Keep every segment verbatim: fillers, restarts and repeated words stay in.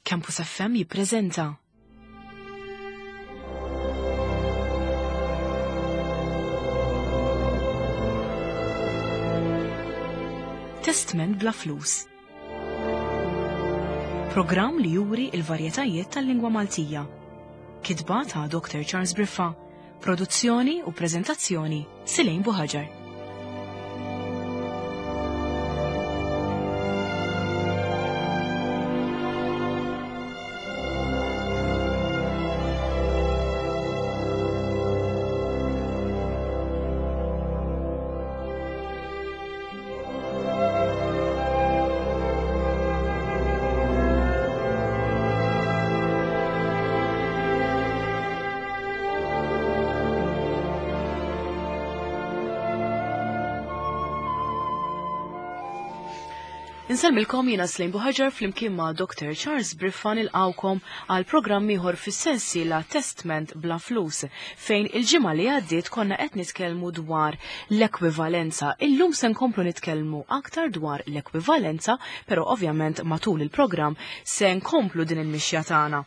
Campus F M jippreżenta Testment bla flus. Programm li juri il-varjetajiet tal-lingwa Maltija. Kitba ta' Doctor Charles Briffa. Produzzjoni u preżentazzjoni Silejn Buħaġar. Insellmilkom jiena Slejn Buħaġar flimkien ma' Doctor Charles Briffa nilqawkom għal programm ieħor fis-sensiela Testment bla flus, fejn il-ġimgħa li għaddiet konna qed nitkellmu dwar l-ekwivalenza. Illum se nkomplu nitkellmu aktar dwar l-ekwivalenza, però ovvjament matul il-programm se nkomplu din il-mixja tagħna,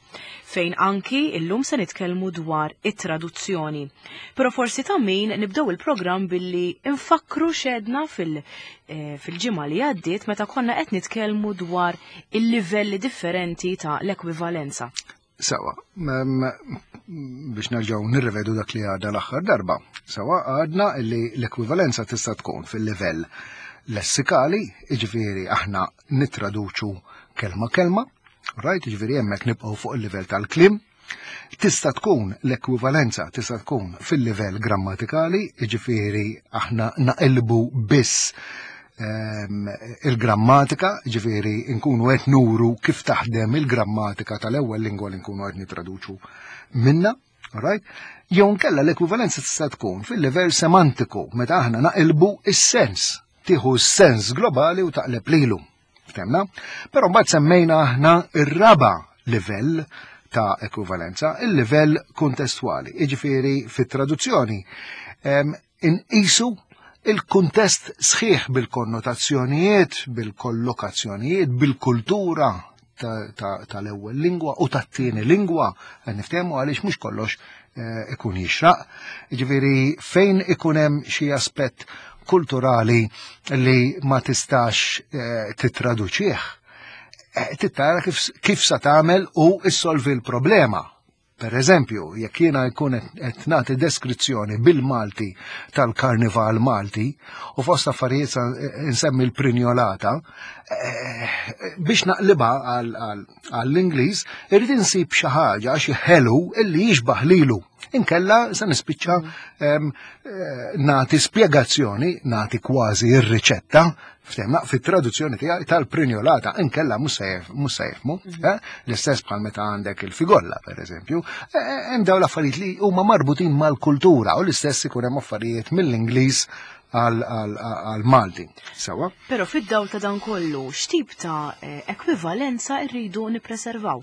fejn anki illum se nitkellmu dwar it-traduzzjoni. Però forsi ta' min nibdew il-programm billi nfakru xedna fil- eh, fil-ġimgħa li għaddiet meta konna qed nitkellmu dwar il-livelli differenti ta' l-ekwivalenza. Sawa, biex nerġgħu nirrivedu dak li għadna l-aħħar darba. Sawa, għadna li l-ekwivalenza tista' tkun fil-livell lessikali, jiġifieri aħna nittraduċu kelma kelma, right, jiġifieri hemmhekk nibqgħu fuq il-livell tal-kliem. Tista' tkun l-ekwivalenza tista' tkun fil-livell grammatikali, jiġifieri aħna naqilbu biss ehm, il-grammatika, ġifieri nkunu qed nuru kif taħdem il-grammatika tal-ewwel lingwa li nkunu qed nitraduċu minna, right? Jew nkella l-ekwivalenza tista' tkun fil-livell semantiku, meta aħna naqilbu is-sens, tieħu s-sens globali u taqleb lilu. Ftemna? Però mbagħad semmejna aħna ir-raba' livell ta' ekwivalenza, il-livell kontestwali. Jiġifieri fit-traduzzjoni, ehm, inqisu il-kuntest sħiħ bil-konnotazzjonijiet, bil-kollokazzjonijiet, bil-kultura tal-ewwel lingwa u tat-tieni lingwa, niftehmu għaliex mhux kollox, eh, ikun jixraq. Jiġifieri fejn ikun hemm xi aspett kulturali li ma tistax, eh, titraduċih, eh, tittara kif, kif sa tagħmel u issolvi l-problema. Per eżempju, jekk jiena jkun qed nagħti deskrizzjoni bil-Malti tal-Karnival Malti u fost affarijiet sa nsemmi l-prinjolata, eh, biex naqlibha għall-Ingliż, irrid insib xi ħaġa, xi ħelu illi jixbaħ lilu. Inkella se nispiċċa, em, eh, nagħti spjegazzjoni, nagħti kważi r-riċetta, ftemna, fit-traduzzjoni tiegħi tal-prinjolata, inkella mhux se jef-, mhux se jifhmu, Mhm. eh? L-istess bħal meta għandek il-figolla, per eżempju, eh, eh, hemm dawn l-affarijiet li huma marbutin mal-kultura u l-istess ikun hemm affarijiet mill-Ingliż għal-Malti. Sawa? Però fid-dawl ta' dan kollu, x'tip ta', eh, ekwivalenza rridu nippreservaw?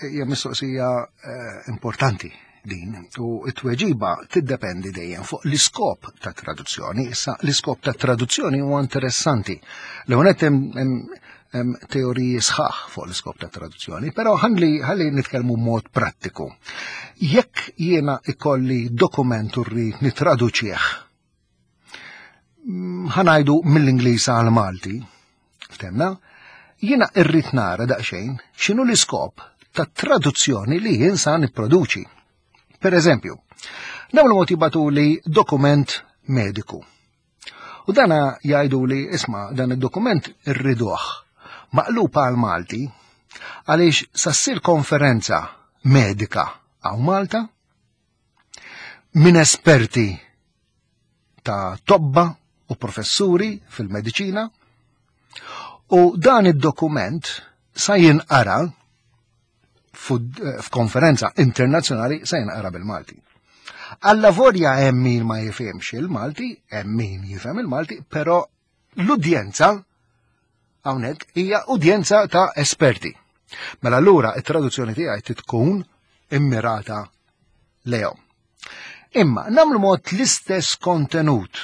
Hija mistoqsija, eh, importanti din, u t-tweġiba tiddependi dejjem fuq l-iskop ta' traduzzjoni. Issa l-iskop ta' traduzzjoni huwa interessanti. L-ewwel nett hemm, hemm, hemm teoriji sħaħ fuq l-iskop ta' traduzzjoni, però ħalli, ħalli nitkellmu b'mod prattiku. Jekk jiena ikolli dokument u rrid nitraduċih, mm, ħanajdu mill-Ingliż għal Malti, ftemna, jiena rrid nara daqsxejn x'inhu l-iskop ta' traduzzjoni li jien sa nipproduċi. Per eżempju, dawn mod jibatuli dokument mediku. U dana jgħidu li isma' dan id-dokument irriduh maqlub għal Malti għaliex sa ssir konferenza medika għaw Malta minn esperti ta' tobba u professuri fil-mediċina u dan id-dokument sa jinqara f'konferenza internazzjonali se jinqara bil-Malti. Alla volja hemm min ma jifhimx il-Malti, hemm min jifhem il-Malti, però l-udjenza hawnhekk hija udjenza ta' esperti. Mela allura it-traduzzjoni tiegħi tkun immirata lejhom. Imma nagħmlu mod l-istess kontenut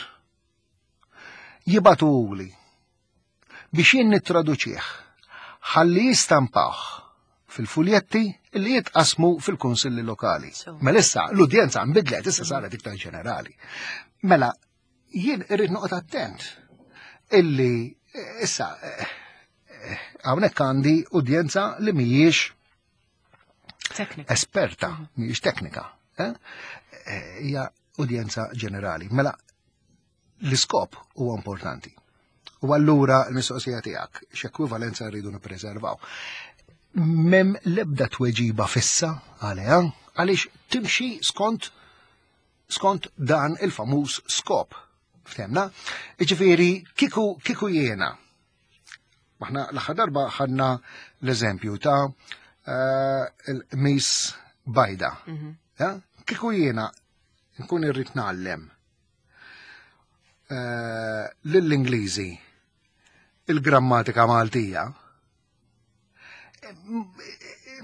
jibatuli biex jien nittraduċih ħalli jistampah fil-fuljetti li jitqasmu fil-kunsilli lokali. So. Mela issa l-udjenza nbidlet, issa saret iktar ġenerali. Mela jien irrid noqgħod attent illi eh, issa eh, eh, hawnhekk għandi udjenza li mhijiex Teknika. esperta, mhijiex teknika. eh? Eh, Hija udjenza ġenerali. Mela l-iskop huwa importanti. U allura l-mistoqsija tiegħek x'ekwivalenza rridu nippreservaw. M'hemm l-ebda tweġiba fissa għaliha għaliex timxi skont skont dan il-famuż skop. Ftemna? Iġifieri kiku kiku jiena. Aħna l-aħħar darba ħadna l-eżempju ta' eh, il-qmis bajda. Mhm. Ja? Kiku jiena nkun irrid ngħallem eh, lill-Ingliżi il-grammatika Maltija,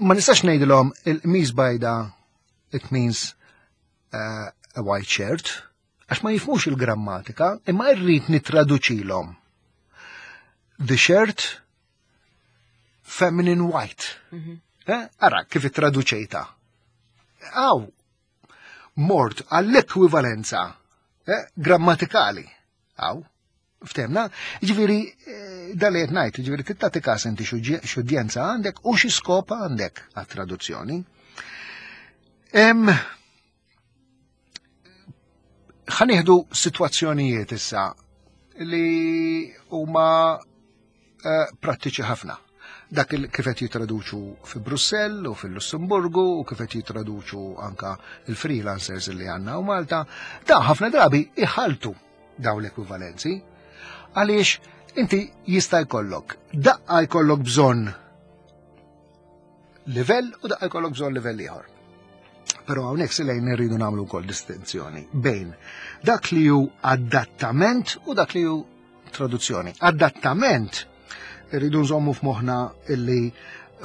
ma nistax ngħidilhom il-qmis bajda it means uh, a white shirt, għax ma jifhmux il-grammatika, imma irrid nitraduċilhom. The shirt feminine white. Mhm. Eh? Ara, kif ittraduċejta. Aw, mort għall-ekwivalenza eh, grammatikali. Aw, ftemna? Ġifieri, eh, dal qed ngħid, ġifieri tagħti kas inti x'udjenza għandek u xi skop għandek għat-traduzzjoni. Em, ħa nieħdu sitwazzjonijiet issa li huma eh, prattiċi ħafna. Dak il kif qed jitraduċu fi Brussell u fil-Lussemburgu u kif qed jitraduċu anka il-freelancers li għandna u Malta, da ħafna drabi iħaltu daw l-ekwivalenzi għaliex inti jista' jkollok daqqa jkollok bżonn livell u daqqa jkollok bżonn livell ieħor. Però hawnhekk silejn irridu nagħmlu wkoll distinzjoni bejn dak li hu adattament u dak li hu traduzzjoni. Adattament irridu nżommu f'moħħna illi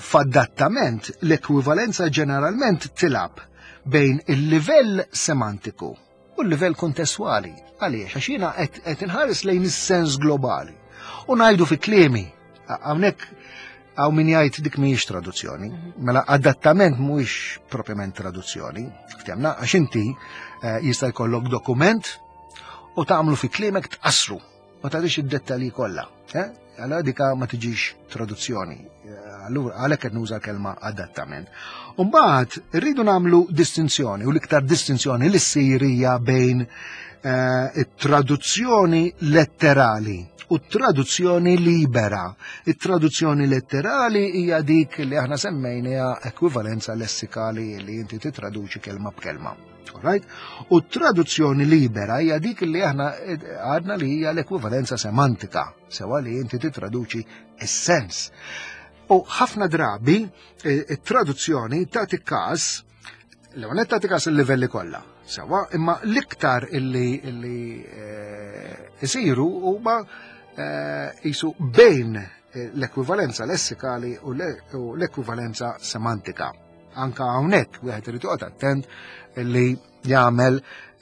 f'adattament l-ekwivalenza ġeneralment tilgħab bejn il-livell semantiku u l-livell kontestwali. Għaliex, għax jiena qed qed inħares lejn is-sens globali. U ngħidu fi kliemi, hawnhekk hawn min jgħid dik mhijiex traduzzjoni. Mela adattament mhuwiex propjament traduzzjoni. Ftemna, għax inti eh, jista' jkollok dokument u tagħmlu fi kliemek tqassru. Ma tagħtix id-dettalji kollha. Eh? Allora dika ma tiġix traduzzjoni. Eh, Allura għalhekk qed nuża l-kelma adattament. U mbagħad irridu nagħmlu distinzjoni u l-iktar distinzjoni li ssir hija bejn eh, it-traduzzjoni letterali u traduzzjoni libera. It-traduzzjoni letterali hija dik li aħna semmejniha ekwivalenza lessikali li inti titraduċi kelma b'kelma. Alright? U traduzzjoni libera hija dik li aħna għadna li hija l-ekwivalenza semantika, sewa li inti titraduċi is-sens. U ħafna drabi eh, it-traduzzjoni tagħti każ l-għonet tagħti każ il-livelli kollha. Sewa, imma l-iktar illi illi eh, isiru huma eh, jisu bejn eh, l-ekwivalenza lessikali u le- u l-ekwivalenza semantika. Anka hawnhekk wieħed irid joqgħod attent li jagħmel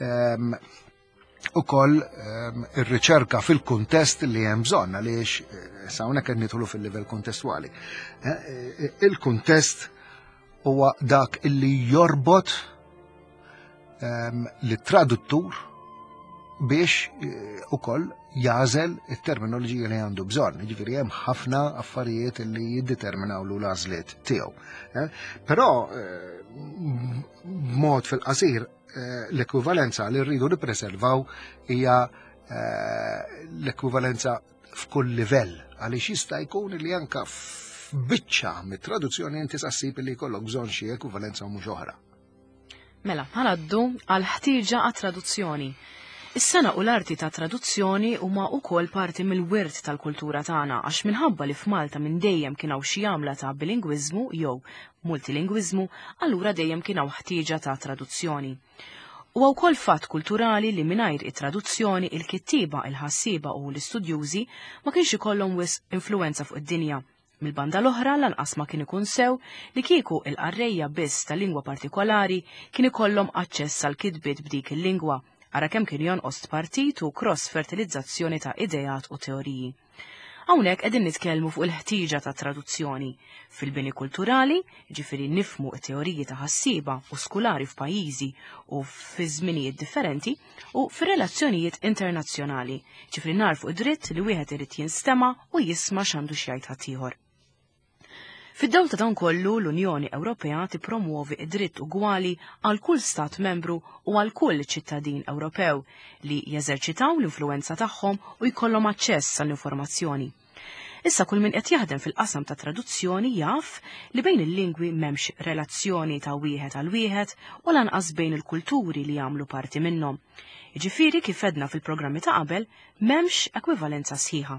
ehm, ukoll ehm, ir-riċerka fil-kuntest li hemm bżonn għaliex eh, sa hawnhekk qed nidħlu fil-livell kontestwali. Eh, eh, Il-kuntest huwa dak illi jorbot ehm, lit-traduttur biex eh, ukoll jagħżel it-terminoloġija li għandu bżonn. Ġifieri hemm ħafna affarijiet li jiddeterminaw lu l-għażliet tiegħu. eh. Però eh, b'mod fil-qasir eh, l-ekwivalenza li rridu nippreservaw hija eh, l-ekwivalenza f'kull livell għaliex jista' jkun li anka f'biċċa mit-traduzzjoni inti ssib li jkollok bżonn xi ekwivalenza u mhux oħra. Mela, ħa ngħaddu għal ħtieġa għat traduzzjoni. Is-sengħa u l-arti ta' traduzzjoni huma wkoll parti mill-wirt tal-kultura tagħna għax minħabba li f'Malta minn dejjem kien hawn xi għamla ta' bilingwiżmu jew multilingwiżmu, allura dejjem kien hawn ħtieġa ta' traduzzjoni. Huwa wkoll fatt kulturali li mingħajr it-traduzzjoni il-kittiba, il-ħassiba u l-istudjużi ma kienx ikollhom wisq influenza fuq id-dinja. Mil-banda l-oħra lanqas ma kien ikun sew li kieku il-qarrejja biss ta' lingwa partikolari kien ikollhom aċċess għal kitbiet b'dik il-lingwa, ara kemm kien jonqos partit u cross fertilizzazzjoni ta' ideat u teoriji. Hawnhekk qegħdin nitkellmu fuq il-ħtieġa ta' traduzzjoni fil-bini kulturali, ġifieri nifhmu t-teoriji ta' ħassieba u skulari f'pajjiżi u fi żminijiet differenti, u fir-relazzjonijiet internazzjonali, ġifieri narfu id-dritt li wieħed irid jinstema' u jisma' x'għandu x'jgħid ħaddieħor. Fid-dawl ta' dan kollu, l-Unjoni Ewropea tippromuovi id-dritt ugwali għal kull stat membru u għal kull ċittadin Ewropew li jeżerċitaw l-influenza tagħhom u jkollhom aċċess għall-informazzjoni. Issa kull min qed jaħdem fil-qasam ta' traduzzjoni jaf li bejn il-lingwi m'hemmx relazzjoni ta' wieħed għal wieħed u lanqas bejn il-kulturi li jagħmlu parti minnhom. Jiġifieri kif edna fil-programmi ta' qabel m'hemmx ekwivalenza sħiħa.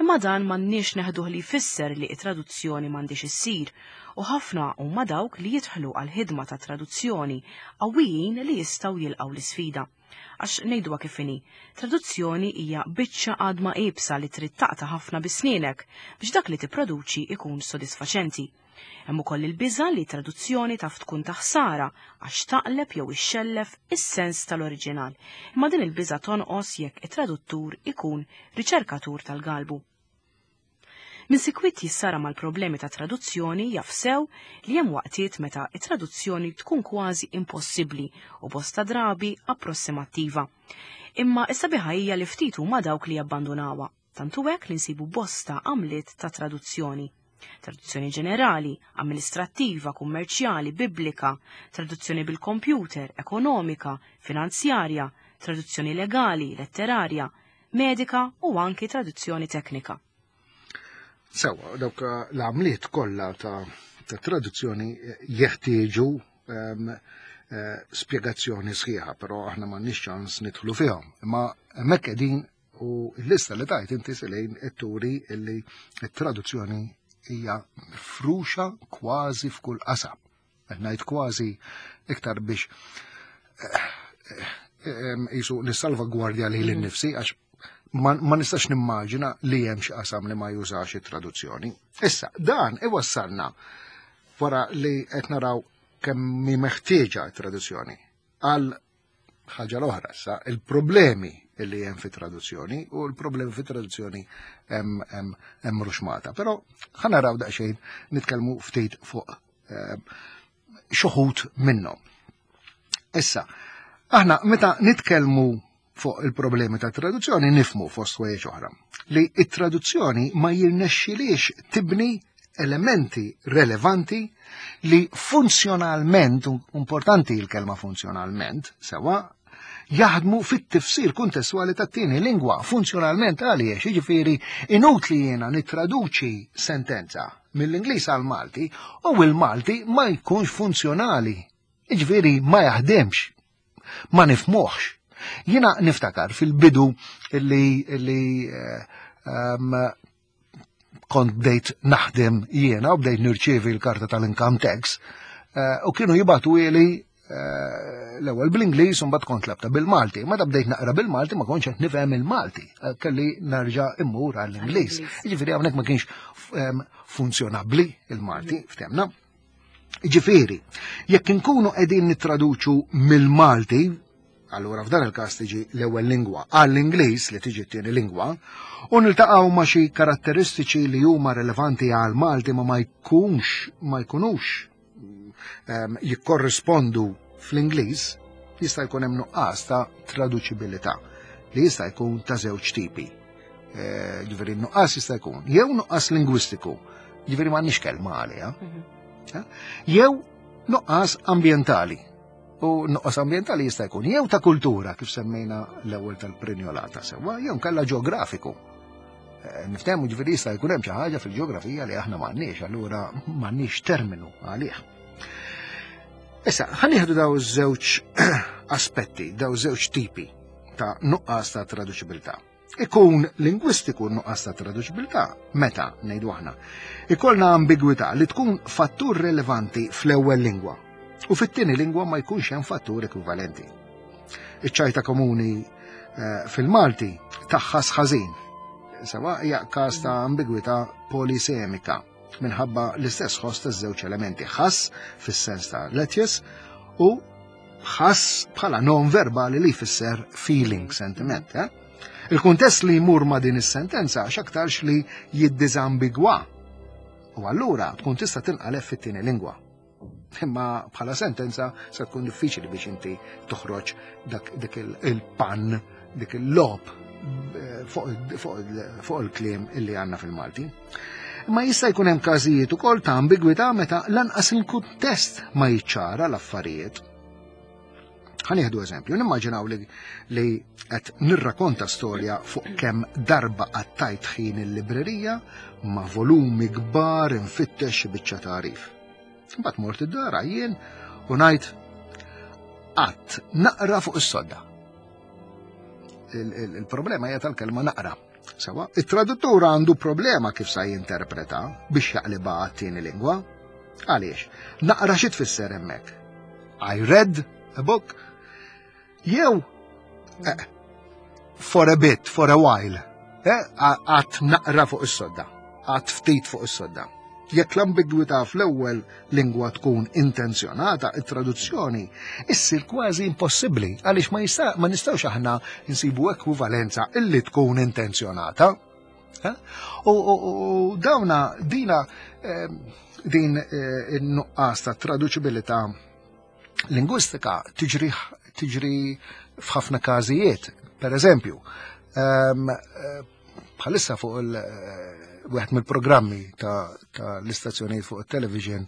Imma dan m'għandniex neħduh li jfisser li t-traduzzjoni m'għandix issir u ħafna huma dawk li jidħlu għal ħidma ta' traduzzjoni qawwijin li jistgħu jilqgħu l-isfida. Għax ngħiduha kif inhi, traduzzjoni hija biċċa għadma iebsa li trid taqta' ħafna bi snienek biex dak li tipproduċi ikun sodisfaċenti. Hemm ukoll il-biża' li traduzzjoni taf tkun ta' ħsara għax taqleb jew ixxellef is-sens tal-oriġinal. Imma din il-biża' tonqos jekk it-traduttur ikun riċerkatur tal-galbu. Min sikwit jissara mal-problemi ta' traduzzjoni jaf sew li hemm waqtiet meta it-traduzzjoni tkun kważi impossibbli u bosta drabi approssimattiva. Imma is-sabiħa hija li ftit huma dawk li jabbandunawha, tantu hekk li nsibu bosta għamliet ta' traduzzjoni. Traduzzjoni ġenerali, amministrattiva, kummerċjali, biblika, traduzzjoni bil-kompjuter, ekonomika, finanzjarja, traduzzjoni legali, letterarja, medika u anki traduzzjoni teknika. Sewa, dawk l-għamliet kollha ta', ta traduzzjoni jeħtieġu um, uh, spjegazzjoni sħiħa, però aħna m'għandniex ċans nidħlu fihom. Imma hemmhekk qegħdin u l-lista li tajt inti Selejn turi illi t-traduzzjoni hija mifruxa kważi f'kull qasam. Qed ngħid kważi iktar biex jisu nissalvagwardja lili nnifsi għax ma, ma nistax nimmaġina li hemm xi qasam li ma jużax it-traduzzjoni. Issa, dan iwassalna wara li qed naraw kemm hi meħtieġa t-traduzzjoni għal ħaġa l-oħra issa, il-problemi li hemm fit-traduzzjoni u l-problemi fit-traduzzjoni hemm hemm ruxmata. Però ħa naraw daqsxejn nitkellmu ftit fuq eh, xi minnhom. Issa, aħna meta nitkellmu fuq il-problemi ta' traduzzjoni nifhmu fost ħwejjeġ oħra li it-traduzzjoni ma jirnexxilix tibni elementi relevanti li funzjonalment, importanti il-kelma funzjonalment, sewa, jaħdmu fit-tifsir kuntestwali tat-tieni lingwa funzjonalment għaliex, jiġifieri inutli jiena nittraduċi sentenza mill-Ingliż għal Malti u l-Malti ma jkunx funzjonali. Jiġifieri ma jaħdemx, ma nifhmuhx. Jiena niftakar fil-bidu illi, illi um, kont bdejt naħdem jiena u bdejt nirċievi l-karta tal-income tax uh, u kienu jibagħtu li uh, l-ewwel bl-Ingliż u mbagħad kont tlabtha bil-Malti. Meta bdejt naqra bil-Malti ma kontx qed nifhem il-Malti, kelli nerġa' immur għall-Ingliż. Jiġifieri hawnhekk ma kienx um, funzjonabbli il-Malti, ftemna. Jiġifieri, jekk inkunu qegħdin nittraduċu mill-Malti, allura f'dan il-każ tiġi l-ewwel lingwa għall-Ingliż li tiġi t-tieni lingwa, u niltaqgħu ma' xi karatteristiċi li huma relevanti għal Malti ma ma jkunx ma jkunux um, jikkorrispondu fl-Ingliż, jista' jkun hemm nuqqas ta' traduċibilità li jista' jkun ta' żewġ tipi. Ġifieri nuqqas jista' jkun jew nuqqas lingwistiku, ġifieri m'għandniex kelma għaliha, jew nuqqas ambjentali. U nuqqas ambjentali jista' jkun jew ta' kultura kif semmejna l-ewwel tal-prinjolata sewwa, jew kalla ġeografiku. Niftehmu ġifieri jista' jkun hemm xi ħaġa fil-ġeografija li aħna m'għandniex, allura m'għandniex terminu għalih. Issa, ħa nieħdu daw żewġ aspetti, daw żewġ tipi ta' nuqqas ta' traduċibilità. Ikun lingwistiku nuqqas ta' traduċibilità meta ngħidu aħna. Ikollna ambigwità li tkun fattur relevanti fl-ewwel lingwa u fit-tieni lingwa ma jkunx hemm fattur ekwivalenti. Iċ-ċajta komuni eh, fil-Malti taħħas ħażin. Sewa hija każ ta' ambigwità polisemika minħabba l-istess ħoss taż-żewġ elementi, ħass fis-sens ta' lettuce u ħass bħala non verbali li jfisser feeling, sentiment. Eh? Il-kuntest li jmur ma' din is-sentenza x'aktarx li jiddiżambigwa. U allura tkun tista' tinqaleb fit-tieni lingwa. Imma bħala sentenza se tkun diffiċli biex inti toħroġ dak dik il-pan, dik il-logħob eh, fuq il-kliem illi għandna fil-Malti. Imma jista' jkun hemm każijiet ukoll ta' ambigwità meta lanqas il-kuntest ma jiċċara l-affarijiet. Ħa nieħdu eżempju, nimmaġinaw li, li qed nirrakonta storja fuq kemm darba qattajt ħin il-librerija ma' volumi kbar infittex xi biċċa tagħrif. Mbagħad mort id-dar jien u ngħid qatt naqra fuq is-sodda. Il-problema hija tal-kelma naqra. Sewwa, it-traduttur għandu problema kif sa jinterpreta biex jaqliba għat-tieni lingwa. Għaliex? Naqra xi tfisser hemmhekk? I read a book. Jew eh, for a bit, for a while. Eh, qgħadt naqra fuq is-sodda, qgħadt ftit fuq is-sodda. Jekk l-ambigwità fl-ewwel lingwa tkun intenzjonata, it-traduzzjoni issir kważi impossibbli għaliex ma jista' ma nistgħux aħna nsibu ekwivalenza illi tkun intenzjonata. Eh? U, u, u dawna dina eh, din eh, in-nuqqas ta' traduċibilità lingwistika tiġri tiġri f'ħafna każijiet. Per eżempju, ehm, bħalissa fuq il wieħed mill-programmi ta', ta l-istazzjonijiet fuq il-television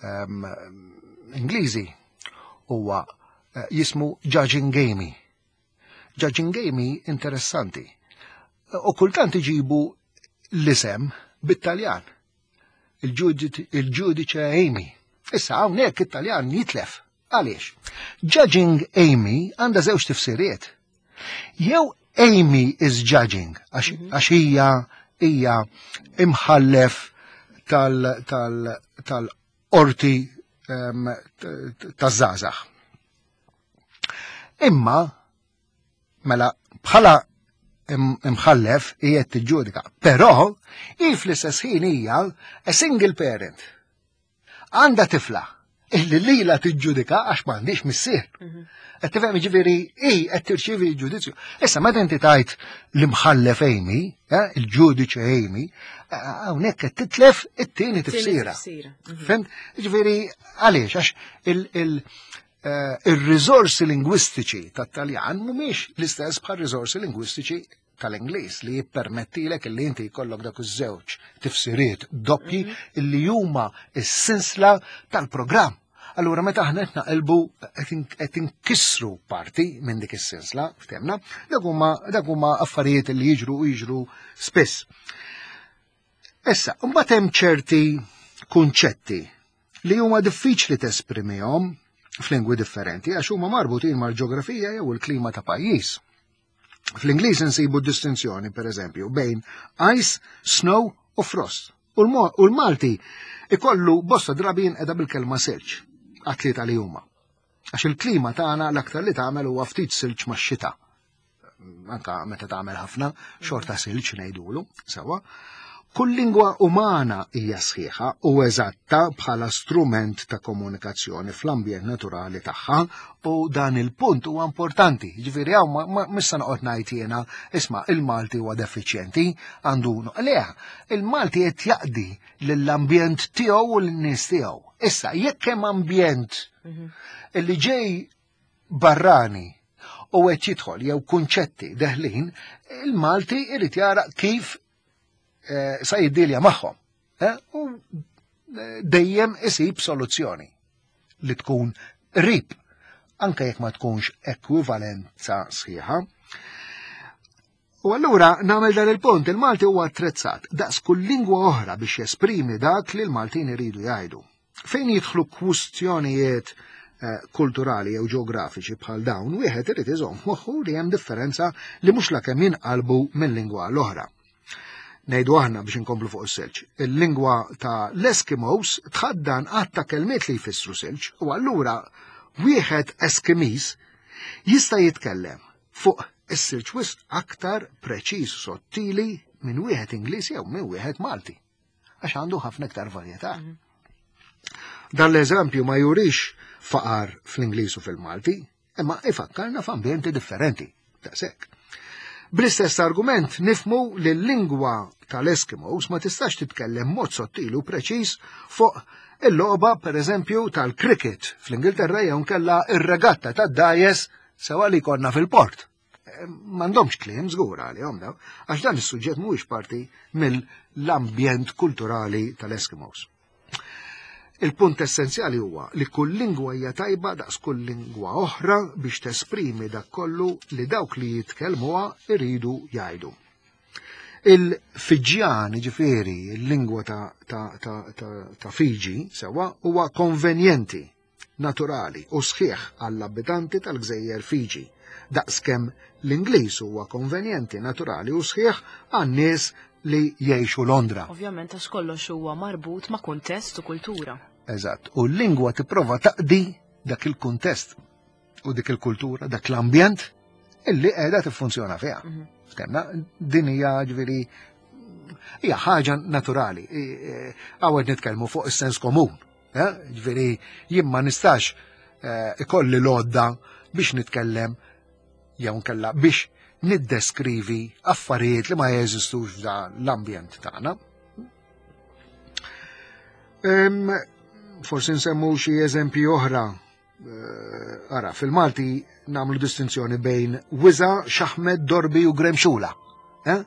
um, Ingliżi huwa uh, jismu Judging Amy. Judging Amy interessanti. U kultant iġibu l-isem bit-Taljan. Il-ġudice Amy. Issa hawnhekk it-Taljan jitlef. Għaliex? Judging Amy għandha żewġ tifsiriet. Jew Amy is judging, għax mhm. hija hija imħallef tal-qorti taż-żgħażagħ. Imma mela bħala imħallef hija tiġġudika, però hi fl-istess ħin hija a single parent. Għandha tifla illi lila tiġġudika għax m'għandix missier. Mhm. Qed tifhem ġifieri hi qed tirċievi l-ġudizzju. Issa meta inti tajt l-imħallef Amy, eh, il-ġudiċi Amy, eh, hawnhekk qed titlef it-tieni tifsira. Mhm. Fhimt? Ġifieri għaliex għax il- eh, il-riżorsi lingwistiċi tat-Taljan mhumiex l-istess bħal riżorsi lingwistiċi tal-Ingliż li jippermettilek li inti jkollok dak iż-żewġ tifsiriet doppji mhm. illi huma s-sinsla tal-programm. Allura meta aħna qed naqilbu qed inkissru parti minn dik is-sinsla, ftehmna, dak huma dak huma affarijiet li jiġru u jiġru spiss. Issa, mbagħad hemm ċerti kunċetti li huma diffiċli tesprimihom f'lingwi differenti għax huma marbutin mal-ġeografija jew il-klima ta' pajjiż. Fl-Ingliż insibu distinzjoni, per eżempju, bejn ice, snow u frost. U l-Malti ikollu bosta drabi jinqeda bil-kelma silġ, għat-tlieta li huma. Għax il-klima tagħna l-aktar li tagħmel huwa ftit silġ max-xita. Anka meta tagħmel ħafna, xorta silġ ngħidulu, sewwa. Kull lingwa umana hija sħiħa u eżatta bħala strument ta' komunikazzjoni fl-ambjent naturali tagħha u dan il-punt huwa importanti. Ġifieri hawn ma missa noqgħod ngħid jiena isma' il-Malti huwa defiċjenti għandu le, il-Malti qed jaqdi lill-ambjent tiegħu u lin-nies tiegħu. Issa jekk hemm ambjent mhm. illi ġej barrani u qed jidħol jew kunċetti deħlin, il-Malti irid jara kif eh, sa jiddilja magħhom. Eh, u eh, dejjem isib soluzzjoni li tkun qrib, anke jekk ma tkunx ekwivalenza sħiħa. U allura nagħmel dan il-punt, il-Malti huwa attrezzat daqs kull lingwa oħra biex jesprimi dak li l-Maltin iridu jgħidu. Fejn jidħlu kwistjonijiet eh, kulturali jew ġeografiċi bħal dawn, wieħed irid iżomm moħħu li hemm differenza li mhux lakemm jinqalbu minn lingwa l-oħra. Ngħidu aħna biex inkomplu fuq is-silġ. Il-lingwa ta' l-Eskimos tħaddan għadd ta' kelmiet li jfissru silġ u allura wieħed Eskimiż jista' jitkellem fuq is-silġ wisq aktar preċiż sottili minn wieħed Ingliż jew minn wieħed Malti. Għax għandu ħafna iktar varjetà. Mhm. Dan l-eżempju ma jurix faqar fl-Ingliż u fil-Malti, imma ifakkarna f'ambjenti differenti. Daqshekk. Bl-istess argument nifmu li l-lingwa tal-Eskimos ma tistax titkellem mod sottili u preċiż fuq il-logħba pereżempju tal-cricket fl-Ingilterra jew nkella ir-regatta tad-dajes sewa li konna fil-port. M'għandhomx kliem żgur għalihom daw, għax dan is-suġġett mhuwiex parti mill-ambjent kulturali tal-Eskimos. Il-punt essenzjali huwa li kull lingwa hija tajba daqs kull lingwa oħra biex tesprimi dak kollu li dawk li jitkellmuha iridu jgħidu. Il-Fiġjan, ġifieri, il-lingwa ta', ta, ta, ta, ta' Fiji, sewa, huwa konvenjenti, naturali u sħiħ għall-abitanti tal-gżejjer Fiji, daqskemm l-Ingliż huwa konvenjenti, naturali u sħiħ għan-nies li jgħixu Londra. Ovvjament għax kollox huwa marbut ma' kuntest u kultura. Eżatt, u l-lingwa tipprova taqdi dak il-kuntest u dik il-kultura, dak l-ambjent illi qiegħda tiffunzjona fiha. Mhm. Ftemna, din hija ġifieri hija ħaġa naturali. Hawn nitkellmu fuq is-sens komun. eh? Ġifieri jien ma nistax eh, ikolli l-għodda biex nitkellem jew nkella biex niddeskrivi affarijiet li ma jeżistux f'dan l-ambjent tagħna. Em, Forsi nsemmu xi eżempji oħra. Eh, Ara, fil-Malti nagħmlu distinzjoni bejn wiża, xaħmed, dorbi u gremxula. Eh?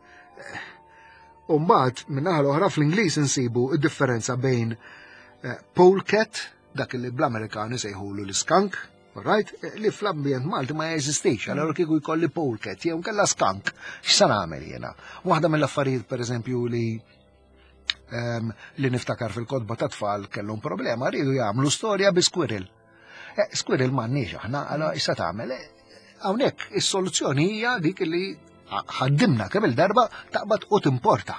U mbagħad min-naħa l-oħra fl-Ingliż insibu id-differenza bejn eh, polecat, dak li bl-Amerikani sejħulu l-skunk, right? Eh, li fl-ambjent Malti ma jeżistix, allora kieku jkolli polecat jew nkella skunk, x'sa nagħmel jiena? Waħda mill-affarijiet pereżempju li em, li niftakar fil-kotba ta' tfal kellhom problema, rridu jagħmlu storja bi squirrel. Eh, squirrel m'għandniex aħna, allora issa tagħmel. Eh, Hawnhekk is-soluzzjoni hija dik li ħaddimna kemm il-darba taqbad u timporta.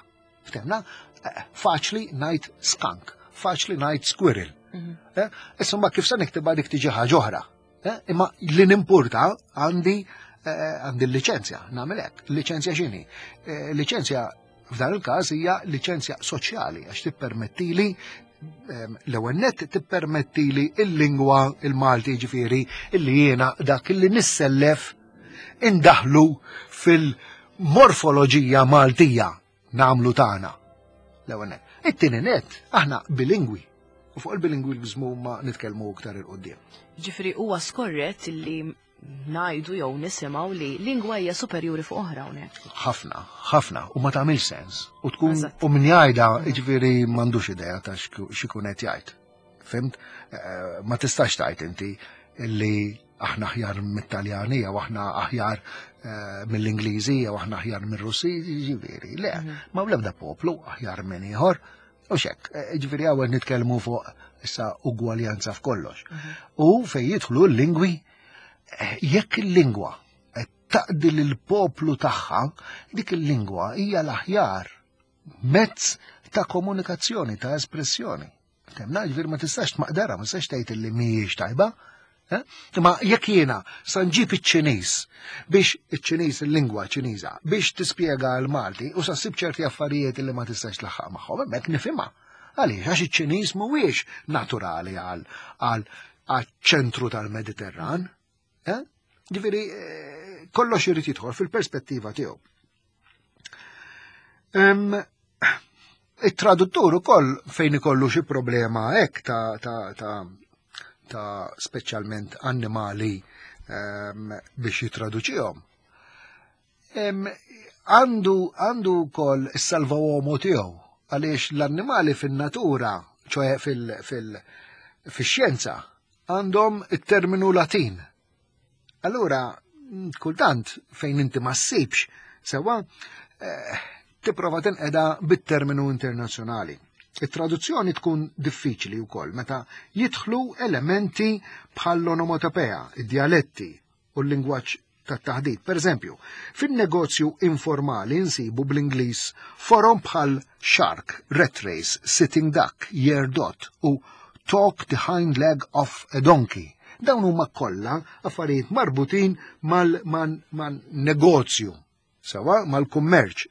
Ftemna? Eh, Faċli ngħid skunk, faċli ngħid squirrel. Mhm. Eh, Issa ma kif se niktibha dik tiġi ħaġa oħra. Eh, Imma li nimporta għandi eh, għandi l-liċenzja, nagħmel hekk. Liċenzja x'inhi? Eh, Liċenzja f'dan il-każ hija liċenzja soċjali għax tippermettili em, l-ewwel nett tippermettili il-lingwa il-Malti ġifieri illi jiena dak illi nissellef indaħlu fil-morfoloġija Maltija nagħmlu tagħna. L-ewwel nett. It-tieni nett aħna bilingwi. U fuq il-bilingwiżmu ma nitkellmu iktar 'il quddiem. Ġifieri huwa skorrett li ngħidu jew nisimgħu li lingwa hija superjuri fuq oħra hawnhekk. Ħafna, ħafna, u ma tagħmilx sens. U tkun Eżatt. u min jgħidha jiġifieri m'għandux idea ta' x'ku- x'ikun qed jgħid. Fhimt? Eh, Ma tistax tgħid inti illi aħna aħjar mit-Taljani jew aħna aħjar eh, mill-Ingliżi jew aħna aħjar mir-Russi, ġifieri. Le, ma l-ebda poplu aħjar minn ieħor. U xek, eh, ġifieri hawn nitkellmu fuq issa ugwaljanza f'kollox. U fejn jidħlu l-lingwi, eh, jekk il-lingwa qed taqdi lill-poplu tagħha, dik il-lingwa hija l-aħjar mezz ta' komunikazzjoni, ta' espressjoni. Temna, ġifieri ma tistax tmaqdara, ma tistax tgħid illi mhijiex tajba. eh? Imma jekk jiena sa nġib iċ-Ċiniż biex iċ-Ċiniż il-lingwa Ċiniża biex tispjega l-Malti u sa ssib ċerti affarijiet li ma tistax tlaħħaq magħhom, hemmhekk nifhimha. Għaliex għax iċ-Ċiniż mhuwiex naturali għal għal ċentru tal-Mediterran. Eh? Ġifieri eh, kollox irid jidħol fil-perspettiva tiegħu. Em, it-traduttur ukoll fejn ikollu xi problema hekk ta' ta' ta' ta' speċjalment annimali em, biex jitraduċihom. Em, Għandu għandu wkoll is-salvawomu tiegħu għaliex l-annimali fin-natura, ċoħe fil- fil- fix-xjenza, għandhom it-terminu Latin. Allura, kultant fejn inti ma ssibx, sewa, eh, tipprova tinqeda bit-terminu internazzjonali. It-traduzzjoni tkun diffiċli wkoll meta jidħlu elementi bħall-onomatopea, id-dialetti u l-lingwaġġ tat-taħdit. Per eżempju, fin-negozju informali nsibu bl-Ingliż forom bħal shark, rat race, sitting duck, year dot u talk the hind leg of a donkey. Dawn huma kollha affarijiet marbutin mal-negozju, sewa mal-kummerċ.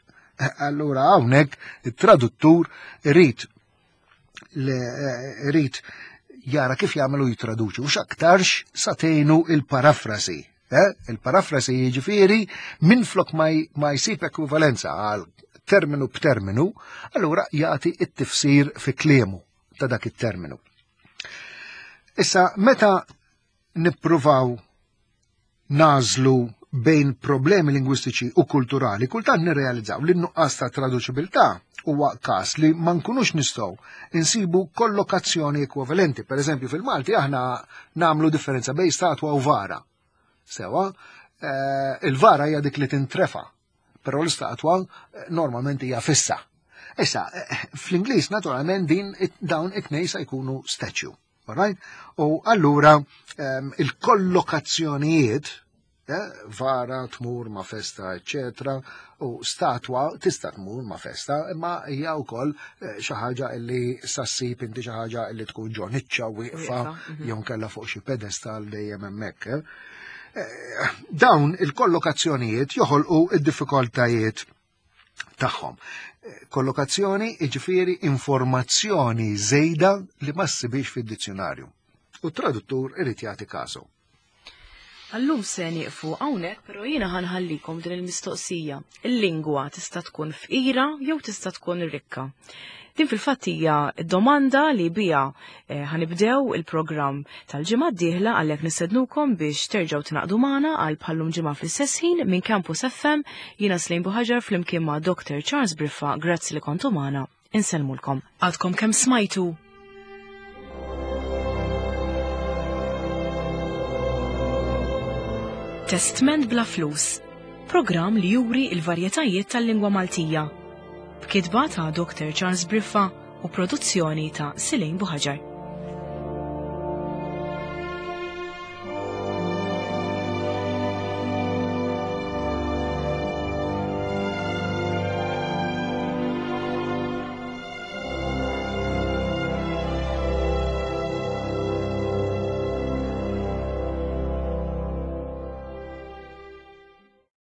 Allura hawnhekk it-traduttur irid irid jara kif jagħmlu jitraduċu u x'aktarx sa tgħinu il-parafrasi. Eh? Il-parafrasi jiġifieri minflok ma jsib ekwivalenza għal terminu b'terminu, allura jagħti it-tifsir fi kliemu ta' dak it-terminu. Issa, meta nippruvaw nażlu bejn problemi lingwistiċi u kulturali, kultant nirrealizzaw li n-nuqqas ta' traduċibilità huwa każ li ma nkunux nistgħu insibu kollokazzjoni ekwivalenti. Per eżempju, fil-Malti aħna nagħmlu differenza bejn statwa u vara. Sewa, eh, il-vara hija dik li tintrefa, però l-istatwa eh, normalment hija fissa. Issa, eh, fl-Ingliż naturalment din dawn it-tnejn se jkunu statue. Alright? U allura ehm, il-kollokazzjonijiet vara tmur ma' festa, eccetera, u statwa tista' tmur ma' festa, imma hija wkoll xi ħaġa li sassib inti xi ħaġa li tkun ġo niċċa wieqfa mhm. jew kellha fuq xi pedestal dejjem hemmhekk. Dawn il-kollokazzjonijiet joħolqu id-diffikultajiet tagħhom. Kollokazzjoni jiġifieri informazzjoni żejda li ma ssibix fid-dizzjonarju. U t-traduttur irid jagħti kasu. Għallum se nieqfu hawnhekk, però jiena ħanħallikom din il-mistoqsija. Il-lingwa tista' tkun fqira jew tista' tkun rikka. Din fil-fatt hija domanda li bija eh, ħanibdew il-programm tal-ġimgħa d-dieħla għalhekk nistednukom biex terġgħu tingħaqdu magħna għal bħallum ġimgħa fl-istess ħin minn Campus FM jiena Slejn Buħaġar flimkien ma' Dr. Charles Briffa, grazzi li kontu magħna. Insellmulkom. Għadkom kemm smajtu Testment bla flus, programm li juri il-varjetajiet tal-lingwa Maltija. B'kitba ta' Dr. Charles Briffa u produzzjoni ta' Silejn Buħaġar.